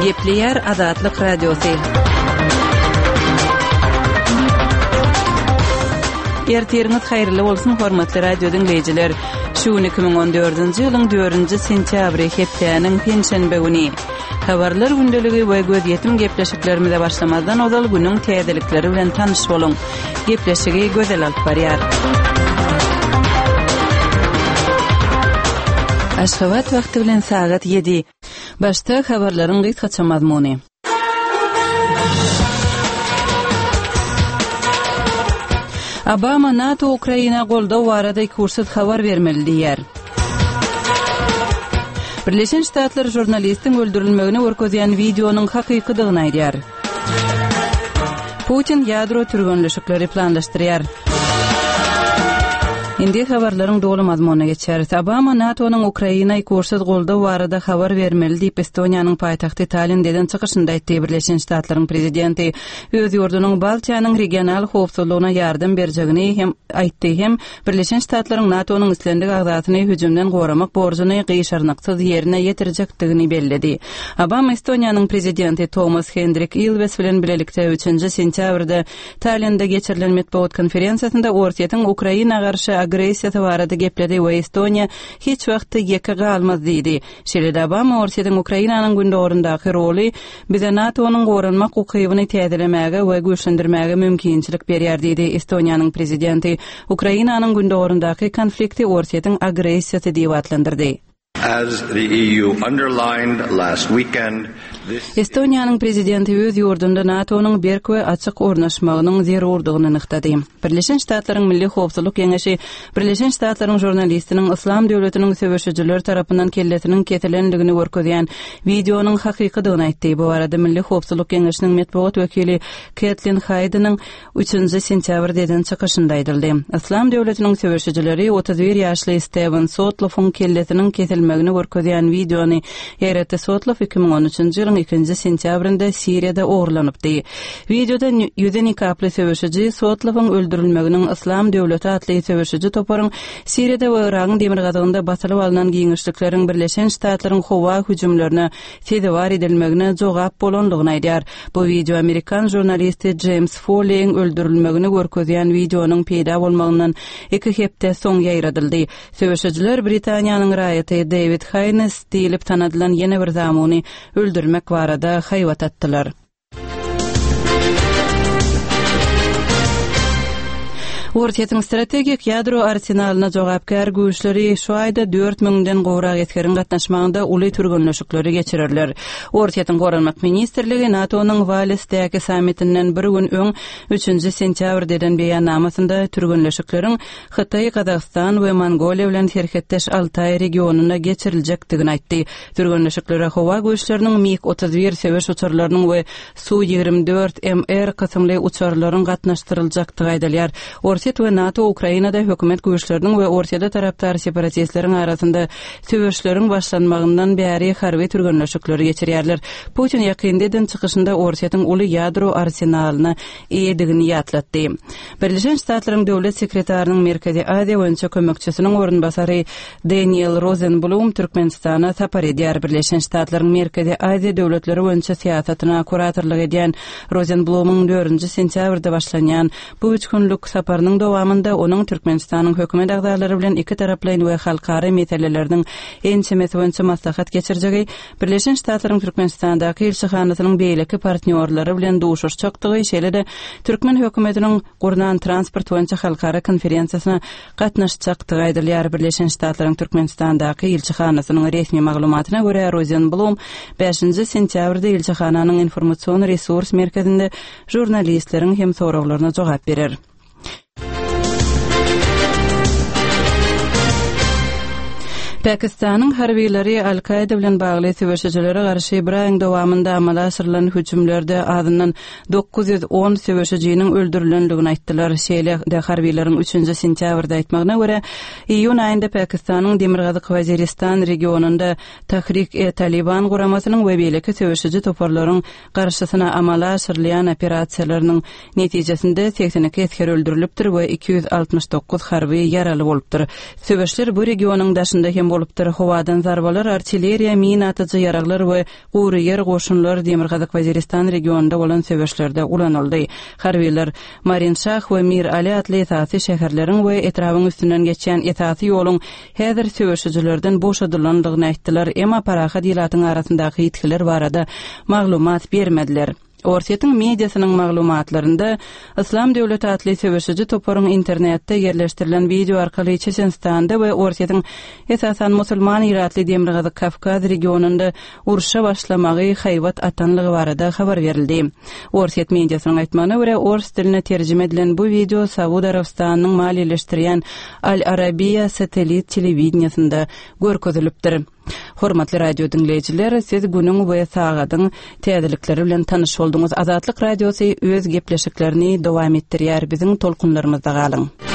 Gepleýär Azatlyk Radiosy. Ertiriňiz haýyrly bolsun, hormatly radio diňleýjiler. Şu gün 2014-nji ýylyň 4-nji sentýabry, hepdäniň penşenbe güni. Habarlar gündeligi we gözýetim gepleşiklerimize başlamazdan ozal günüň täzelikleri bilen tanyş boluň. Gepleşigi Gözel alyp barýar. Aşgabat wagty bilen sagat 7. Başda habarlaryň gysgaça mazmuny. Obama NATO Ukraina goldaw barada ikuçsuz habar bermeli diýýär. Birleşen Ştatlar žurnalistiň öldürilmegini görkezýän wideonyň hakykydygyny aýdýar. Putin ýadro türgenleşikleri planlaşdyrýar. Indi habarlaryň doly mazmunyna geçeris. Obama NATO-nyň Ukraina ikuçsuz goldaw barada habar bermeli diýip, Estoniýanyň paýtagty Tallinde eden çykyşynda aýtdy. Birleşen Ştatlaryň prezidenti öz ýurdunyň Baltiýanyň regional howpsuzlygyna ýardam berjegini hem aýtdy hem Birleşen Ştatlaryň NATO-nyň islendik agzasyny hüjümden goramak borjuny gyşarnyksyz ýerine ýetirjekdigini belledi. Obama Estoniýanyň prezidenti Toomas Hendrik Ilwes bilen bilelikde üçünji sentýabrda Tallinde geçirilen metbugat konferensiýasynda Orsýetiň Ukraina garşy agressiýasy barada gepledi we Estoniýa hiç wagt ýeke galmaz diýdi. Şeýle-de Obama Orsýetiň Ukrainanyň gündogaryndaky roly bize NATO-nyň goranmak ukybyny täzelemäge we güýçlendirmäge mümkinçilik berýär diýdi. Estoniýanyň prezidenti Ukrainanyň gündogaryndaky konflikti Orsýetiň agressiýasy diýip atlandyrdy. As the EU underlined last weekend, this Estoniýanyň prezidenti öz ýurdunda NATO-nyň berk we açyk ornaşmagynyň zerurdygyny nygtady. Birleşen Ştatlaryň Milli howpsuzlyk geňeşi Birleşen Ştatlaryň žurnalistiniň Yslam döwletiniň söweşijileri tarapyndan kellesiniň kesilendigini görkezýän wideonyň hakykydygyny aýtdy. Bu barada Milli howpsuzlyk geňeşiniň metbugat wekili Ketlin Haýdeniň üçünji sentýabrda eden çykyşynda aýdyldy. Yslam döwletiniň söweşijileri 31 ýaşly Stewen Sotloffyň kellesiniň kesilmegini görkezýän wideony ýaýratdy. Sotloff 2013-nji ýylyň ikinji sentýabrynda Siriýada ogurlanypdy. Wideoda ýüzi nikaply söweşiji Sotlowyň öldürilmeginiň Yslam döwleti atly söweşiji toparyň Siriýada we Yragyň demirgazygynda basylyp alnan giňişlikleriň Birleşen Ştatlaryň howa hüjümlerine sezewar edilmegine jogap bolandygyny aýdýar. Bu wideo amerikan žurnalisti Jeýms Folleýiň öldürilmegini görkezýän wideonyň peýda bolmagyndan iki hepde soň ýaýradyldy. Söweşijiler Britaniýanyň raýaty Dewid Haýnes diýlip tanadylan ýene bir zamuny öldürmek barada haýbat atdylar. Orsýetiň strategik ýadro arsenalyna jogapkär güýçleri şu aýda dört müňden gowrak esgeriň gatnaşmagynda uly türgenleşikleri geçirerler. Orsýetiň Goranmak ministrligi NATO-nyň Walesdäki sammitinden bir gün öň, üçünji sentýabrda eden beýannamasynda türgenleşikleriň Hytaý, Gazagystan we Mongoliýa bilen serhetdeş Altaý regionynda geçiriljekdigini aýtdy. Türgenleşiklere howa güýçleriniň MiG 31 söweş uçarlarynyň we Su 24 MR kysymly uçarlaryň gatnaşdyryljakdygy aýdylýar. Orsýet we NATO Ukrainada hökümet güýçleriniň we Orsýete tarapdar separatistleriň arasynda söweşleriň başlanmagyndan bäri harby türgenleşikleri geçirýärler. Putin ýakynda eden çykyşynda Orsýetiň uly ýadro arsenalyna eýedigini ýatlatdy. Birleşen Ştatlaryň Döwlet sekretarynyň Merkezi Aziýa boýunça kömekçisiniň orunbasary Deniel Rozenblum Türkmenistana sapar edýär. Birleşen Ştatlaryň Merkezi Aziýa döwletleri boýunça syýasatyna kuratorlyk edýän Rozenblumyň dördünji sentýabrda başlanýan bu üç günlük saparynyň dowamynda onuň Türkmenistanyň hökümet agzalary bilen ikitaraplaýyn we halkara meseleleriniň ençemesi boýunça maslahat geçirjegi, Birleşen Ştatlaryň Türkmenistandaky ilçihanasynyň beýleki partnýorlary bilen duşuşjakdygy, şeýle-de türkmen hökümetiniň gurnan transport boýunça halkara konferensiýasyna gatnaşjakdygy aýdylýar. Birleşen Ştatlaryň Türkmenistandaky ilçihanasynyň resmi maglumatyna görä, Rozenblum bäşinji sentýabrda ilçihananyň informasion-resurs merkezinde žurnalistleriň hem soraglaryna jogap berer. Pakistanyň harbylary Al-Kaýda bilen bagly söweşijilere garşy bir aýyň dowamynda amala aşyrylan hüjümlerde azyndan 910 söweşijiniň öldürilendigini aýtdylar. Şeýle-de harbylaryň üçünji sentýabrda aýtmagyna görä, iýun aýynda Pakistanyň Demirgazyk Waziristan regionynda Tahrik-e-Taliban guramasynyň we beýleki söweşiji toparlaryň garşysyna amala aşyrylýan operasiýalarynyň netijesinde 82 esger öldürilipdir we 269 harby ýaraly bolupdyr. Söweşler bu regionyň daşynda hem bolup. bolupdyr. Howadan zarbalar, artilleriýa, mina atyjy ýaraglar we gury ýer goşunlar Demirgazyk Waziristan regionynda bolan söweşlerde ulanyldy. Harbylar Marinşah we Mir Ali atly esasy şäherleriň we etrabyň üstünden geçýän esasy ýoluň häzir söweşijilerden boşadylandygyny aýtdylar, emma parahat ilatyň arasyndaky ýitgiler barada maglumat bermediler. Orsýetiň mediasynyň maglumatlarynda, Yslam döwleti atly söweşiji toparyň internetde ýerleşdirilen wideo arkaly Çeçenistanda we Orsýetiň esasan musulman ilatly Demirgazyk Kawkaz regionynda urşa başlamagy haýbat atanlygy barada habar berildi. Orsýet mediasynyň aýtmagyna görä, ors diline terjime edilen bu wideo Saud Arabystanynyň maliýeleşdirýän Al Arabiya satellit telewideniýesinde görkezilipdir. Hormatly radio diňleýjiler, siz günüň we sagadyň täzelikleri bilen tanyş bolduňyz. Azatlyk Radiosy öz gepleşiklerini dowam etdirýär. Biziň tolkunlarymyzda galyň.